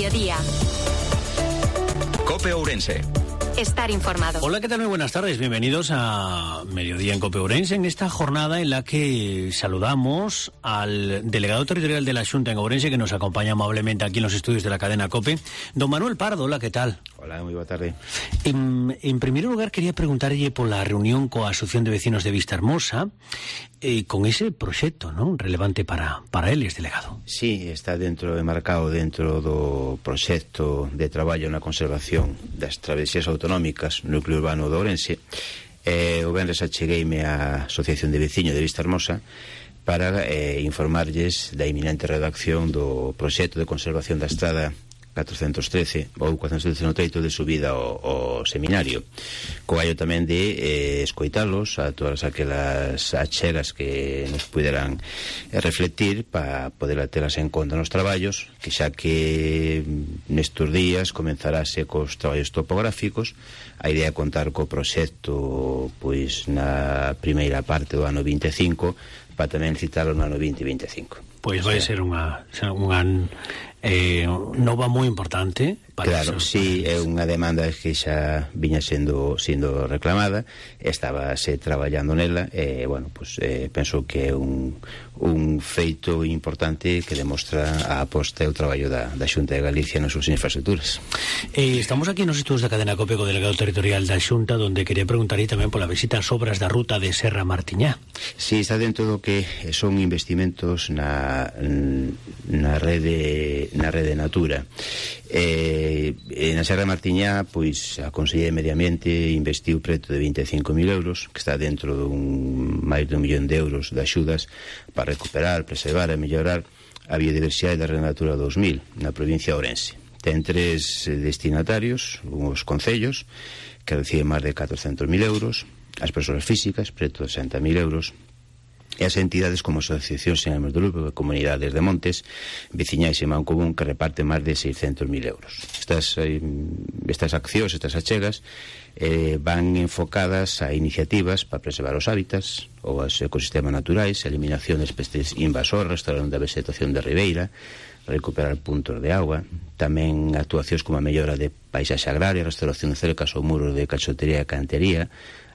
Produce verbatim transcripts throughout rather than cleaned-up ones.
mediodía. COPE Ourense. Estar informado. Hola, ¿qué tal? Muy buenas tardes. Bienvenidos a Mediodía en COPE Ourense, en esta jornada en la que saludamos al delegado territorial de la Xunta en Ourense, que nos acompaña amablemente aquí en los estudios de la cadena COPE, don Manuel Pardo. Hola, ¿qué tal? Hola, moi boa tarde. En, en primer lugar, quería preguntarlle por la reunión coa Asociación de Vecinos de Vista Hermosa, eh, con ese proxecto, ¿no?, relevante para, para eles, delegado. Sí, está dentro, enmarcado dentro do proxecto de traballo na conservación das travesías autonómicas no núcleo urbano de Ourense. Eh, o venres achegueime á Asociación de Veciños de Vista Hermosa para eh, informarlles da inminente redacción do proxecto de conservación da estrada catrocentos trece ou cuatrocentos trece no teito de subida ao, ao seminario, co gallo tamén de eh, escoitalos a todas aquelas achegas que nos puderan eh, reflectir para poder telas en conta nos traballos, que xa que nestes días comenzarase cos traballos topográficos. A idea é contar co proxecto pois na primeira parte do ano vinte e cinco para tamén citarlo no ano vinte e vinte e cinco. Pois vai ser unha, unha eh, nova moi importante para claro, eso. Sí, é unha demanda que xa viña sendo sendo reclamada, estábase traballando nela e, bueno, pues, eh, penso que é un, un feito importante que demostra a aposta e o traballo da, da Xunta de Galicia nas súas infraestructuras. Eh, estamos aquí nos estudios da cadena COPE co delegado territorial da Xunta, donde quería preguntarlle tamén pola visita ás obras da ruta de Serra Martiñá. Sí, está dentro do que son investimentos na, na rede na rede Natura. Eh, na Serra Martiñá, pois a Consellería de Medio Ambiente investiu preto de vinte e cinco mil euros, que está dentro dun máis de un millón de euros de axudas para recuperar, preservar e mellorar a biodiversidade da Rede Natura dos mil na provincia de Ourense. Ten tres destinatarios, os concellos, que reciben máis de catrocentos mil euros, as persoas físicas, preto de sesenta mil euros, e as entidades como asociacións sen ánimo de lucro, comunidades de montes, veciñais e Mancomún, que reparten máis de seiscentos mil euros. Estas, estas accións, estas achegas, eh, van enfocadas a iniciativas para preservar os hábitats ou os ecosistemas naturais, a eliminación de especies invasoras, restauración da vegetación de ribeira, recuperar puntos de agua, tamén actuacións como a mellora de paisaxe agraria, restauración de cercas ou muros de cachotería e cantería,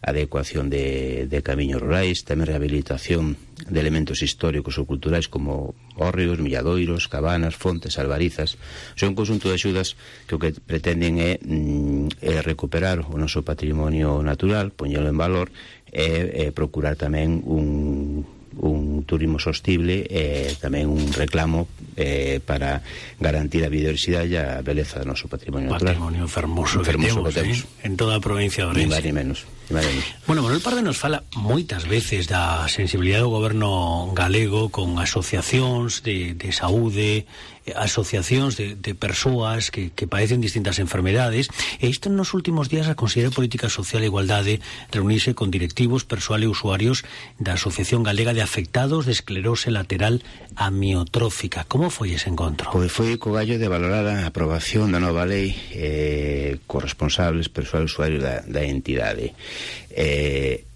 adecuación de, de camiños rurais, tamén rehabilitación de elementos históricos ou culturais como hórreos, milladoiros, cabanas, fontes, albarizas. Son un conjunto de axudas que o que pretenden é, mm, é recuperar o noso patrimonio natural, poñelo en valor e, e procurar tamén un un turismo sostible e tamén un reclamo eh, para garantir a biodiversidade e a beleza do noso patrimonio natural. Patrimonio fermoso, fermoso que temos, que temos. Eh? En toda a provincia de Ourense. Ni máis ni menos. Bueno, Manuel Pardo nos fala moitas veces da sensibilidade do goberno galego con asociacións de, de saúde, asociacións de, de persoas que, que padecen distintas enfermedades, e isto nos últimos días a Consellería de Política Social e Igualdade reunirse con directivos, persoal e usuarios da Asociación Galega de Afectados de Esclerose Lateral Amiotrófica. Como foi ese encontro? Pois foi co gallo de valorar a aprobación da nova lei eh, corresponsables, persoal e usuario da, da entidade. Eh,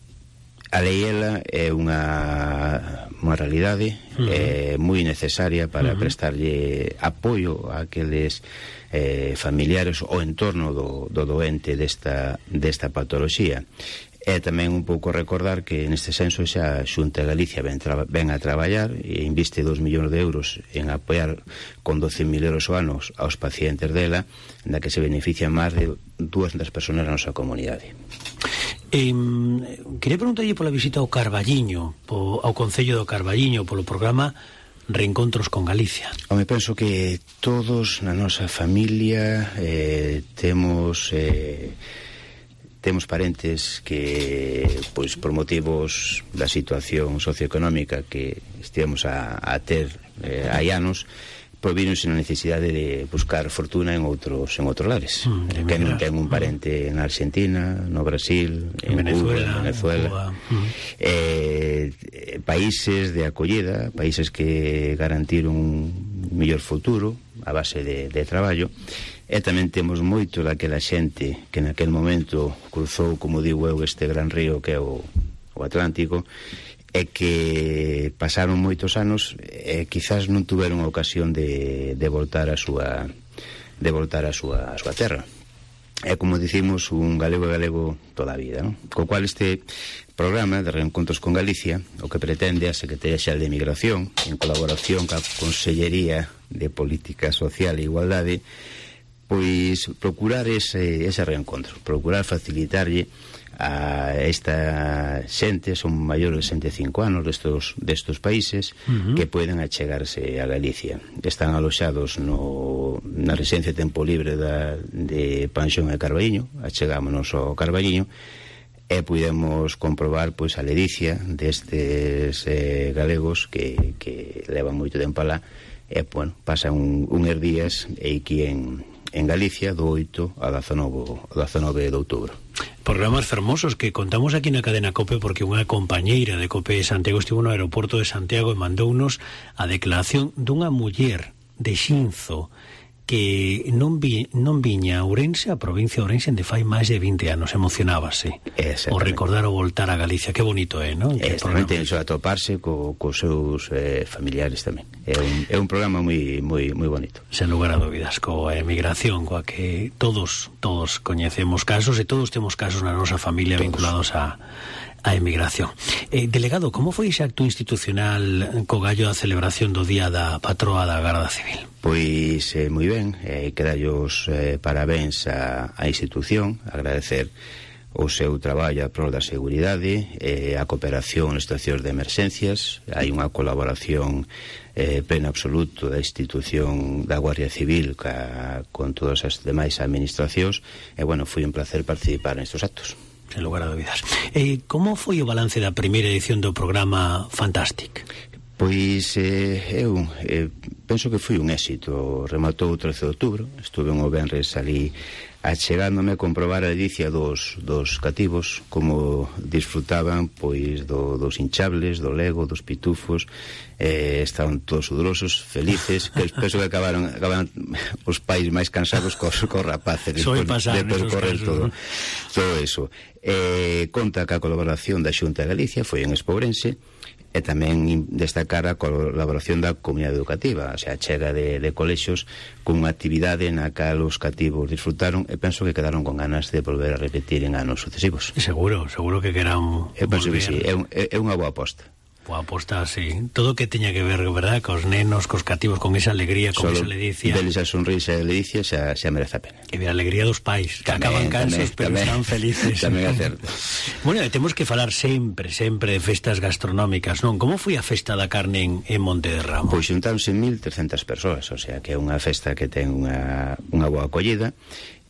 a lei ela é unha, unha realidade uh-huh. eh, moi necesaria para uh-huh. prestarlle apoio a aqueles eh, familiares ou entorno do, do doente desta, desta patoloxía. E tamén un pouco recordar que neste senso xa a Xunta de Galicia ven, tra- ven a traballar e inviste dos millóns de euros en apoiar con doce mil euros ao ano aos pacientes dela, na que se benefician máis de dúascentas persoas na nosa comunidade. Eh, quería preguntarlle pola visita ao Carballiño, po, ao Concello do Carballiño, polo programa Reencontros con Galicia. Home, penso que todos na nosa familia eh, temos... Eh, temos parentes que, pois, por motivos da situación socioeconómica que estivemos a, a ter eh, hai anos, pois vironse na necesidade de buscar fortuna en outros en outros lares. Mm, que non ten un parente en Argentina, no Brasil, en, en Venezuela, Cuba, en Venezuela. Cuba. Mm. Eh, países de acollida, países que garantiron un mellor futuro a base de, de traballo. E tamén temos moito daquela xente que naquel momento cruzou, como digo eu, este gran río que é o, o Atlántico, e que pasaron moitos anos e quizás non tuveron a ocasión de, de voltar a súa de voltar a súa, a súa terra. É, como dicimos, un galego galego toda a vida, non? Co cual este programa de Reencontros con Galicia o que pretende a Secretaría Xeral de Migración, en colaboración ca Consellería de Política Social e Igualdade, pois procurar ese, ese reencontro, procurar facilitarlle a esta xente, son maiores de sesenta e cinco anos destos, destos países, uh-huh. que poden achegarse a Galicia. Están aloxados no, na residencia de tempo libre da, de Panxón e Carballiño, achegámonos ao Carballiño, e podemos comprobar pois a ledicia destes eh, galegos que, que levan moito tempo alá, e, bueno, pasan un, unhos días e aquí en, en Galicia do oito a dezanove de outubro. Programas fermosos que contamos aquí na cadena COPE, porque unha compañeira de COPE de Santiago estivo no aeroporto de Santiago e mandounos a declaración dunha muller de Xinzo que non, vi, non viña a Ourense, a provincia de Ourense, de fai máis de vinte anos. Emocionábase o recordar o voltar a Galicia. Que bonito é, non? Exactamente, iso atoparse co, co seus eh, familiares tamén. É un, é un programa moi, moi, moi bonito. Sen lugar a dúbidas, coa emigración, coa que todos, todos coñecemos casos e todos temos casos na nosa familia todos. Vinculados a a emigración. Eh, delegado, como foi ese acto institucional co gallo da celebración do Día da Patroa da Garda Civil? Pois eh, moi ben, eh, quedallos eh, parabéns a, a institución, agradecer o seu traballo a prol da seguridade, eh, a cooperación nas situacións de emerxencias. Hai unha colaboración eh, pleno absoluto da institución da Guardia Civil ca, con todas as demais administracións, e, bueno, foi un placer participar nestes actos. Sen lugar a dúbidas. Eh, como foi o balance da primeira edición do programa Fantastic? Pois eh, eu eh, penso que foi un éxito. Rematou o trece de outubro, estuve un o venres ali achegándome a comprobar a ledicia dos, dos cativos, como disfrutaban pois do, dos hinchables, do Lego, dos pitufos, eh, estaban todos sudorosos, felices, que penso que acabaron, acabaron os pais máis cansados cos, cos rapaces despois de percorrer todo, todo eso. Eh, conta que a colaboración da Xunta de Galicia foi en Espourense, e tamén destacar a colaboración da comunidade educativa, o sea, a chega de, de colexios con unha actividade na cal os cativos disfrutaron, e penso que quedaron con ganas de volver a repetir en anos sucesivos. Seguro, seguro que querán eu penso que sí, é, un, é unha boa aposta. Boa aposta, sí. Todo que teña que ver, verdad, cos nenos, cos cativos, con esa alegría, con esa ledicia. Deles a sonrisa e a ledicia xa, xa merece a pena. E ver a alegría dos pais, que tamén, acaban cansos, tamén, pero tamén, están felices. Tamén é certo. Bueno, e temos que falar sempre, sempre de festas gastronómicas, non? Como foi a festa da carne en, en Monte de Ramo? Pois xuntáronse mil trescentas persoas, o sea, que é unha festa que ten unha, unha boa acollida.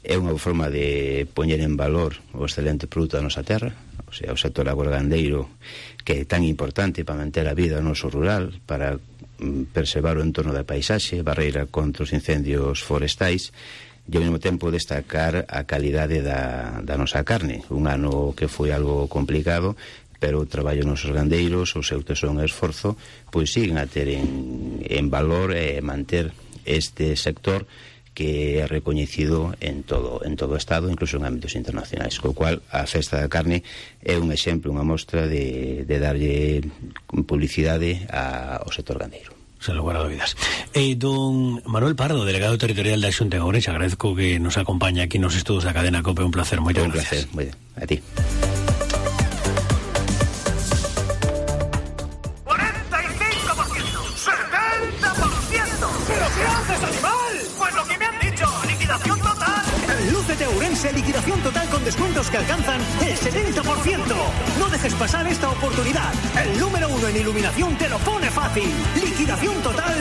É unha forma de poñer en valor o excelente produto da nosa terra, o sea, o sector agrogandeiro, que é tan importante para manter a vida no noso rural, para mm, preservar o entorno da paisaxe, barreira contra os incendios forestais, e ao mesmo tempo destacar a calidade da, da nosa carne. Un ano que foi algo complicado, pero o traballo nos gandeiros, o seu tesón e esforzo, pois siguen a ter en, en valor e manter este sector que é recoñecido en todo en todo o Estado, incluso en ámbitos internacionais, co cual a festa da carne é un exemplo, unha mostra de, de darlle publicidade a, ao sector gandeiro. Sen lugar a dúbidas. E don Manuel Pardo, delegado territorial da Xunta de Ourense, agradezco que nos acompaña aquí nos estudos da cadena COPE, un placer, moitas gracias. Un placer, moi ben, a ti. Liquidación total con descuentos que alcanzan el setenta por ciento. No dejes pasar esta oportunidad. El número uno en iluminación te lo pone fácil. Liquidación total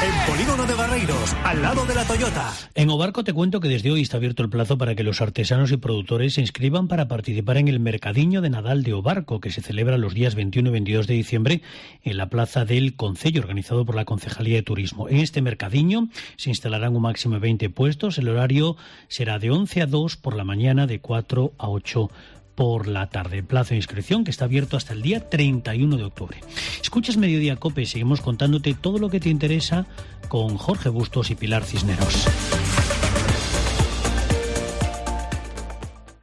en Polígono de Barreiros, al lado de la Toyota. En Obarco te cuento que desde hoy está abierto el plazo para que los artesanos y productores se inscriban para participar en el Mercadiño de Nadal de Obarco, que se celebra los días veintiuno y veintidós de diciembre en la plaza del Concello, organizado por la Concejalía de Turismo. En este mercadiño se instalarán un máximo de veinte puestos. El horario será de once a dos por la mañana, de cuatro a ocho por la tarde. El plazo de inscripción que está abierto hasta el día treinta y uno de octubre. Escuchas Mediodía COPE, seguimos contándote todo lo que te interesa con Jorge Bustos y Pilar Cisneros.